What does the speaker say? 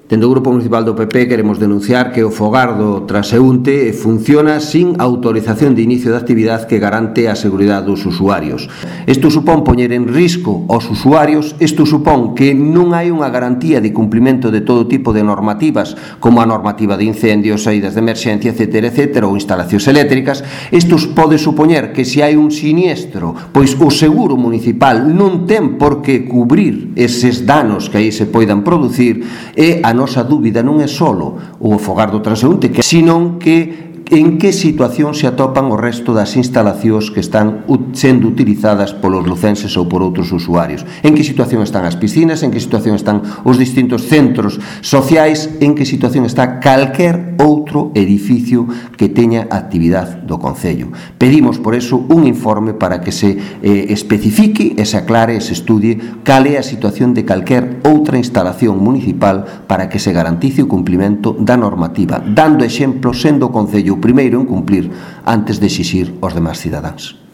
Dende o Grupo Municipal do PP queremos denunciar que o fogar do transeúnte funciona sin autorización de inicio de actividade que garante a seguridade dos usuarios. Isto supón poñer en risco aos usuarios, isto supón que non hai unha garantía de cumprimento de todo tipo de normativas, como a normativa de incendios, saídas de emerxencia, etc., ou instalacións eléctricas. Isto pode supoñer que se hai un siniestro, pois o seguro municipal non ten por que cubrir eses danos que aí se poidan producir, e a nosa dúbida non é só o fogar do transeúnte, senón que en que situación se atopan o resto das instalacións que están sendo utilizadas polos lucenses ou por outros usuarios. En que situación están as piscinas, en que situación están os distintos centros sociais, en que situación está calquer outro edificio que teña actividade do Concello. Pedimos, por eso, un informe para que se especifique e se aclare e se estudie cal é a situación de calquer outra instalación municipal para que se garantice o cumprimento da normativa, dando exemplo sendo o Concello o primeiro en cumplir antes de exixir aos demais cidadáns.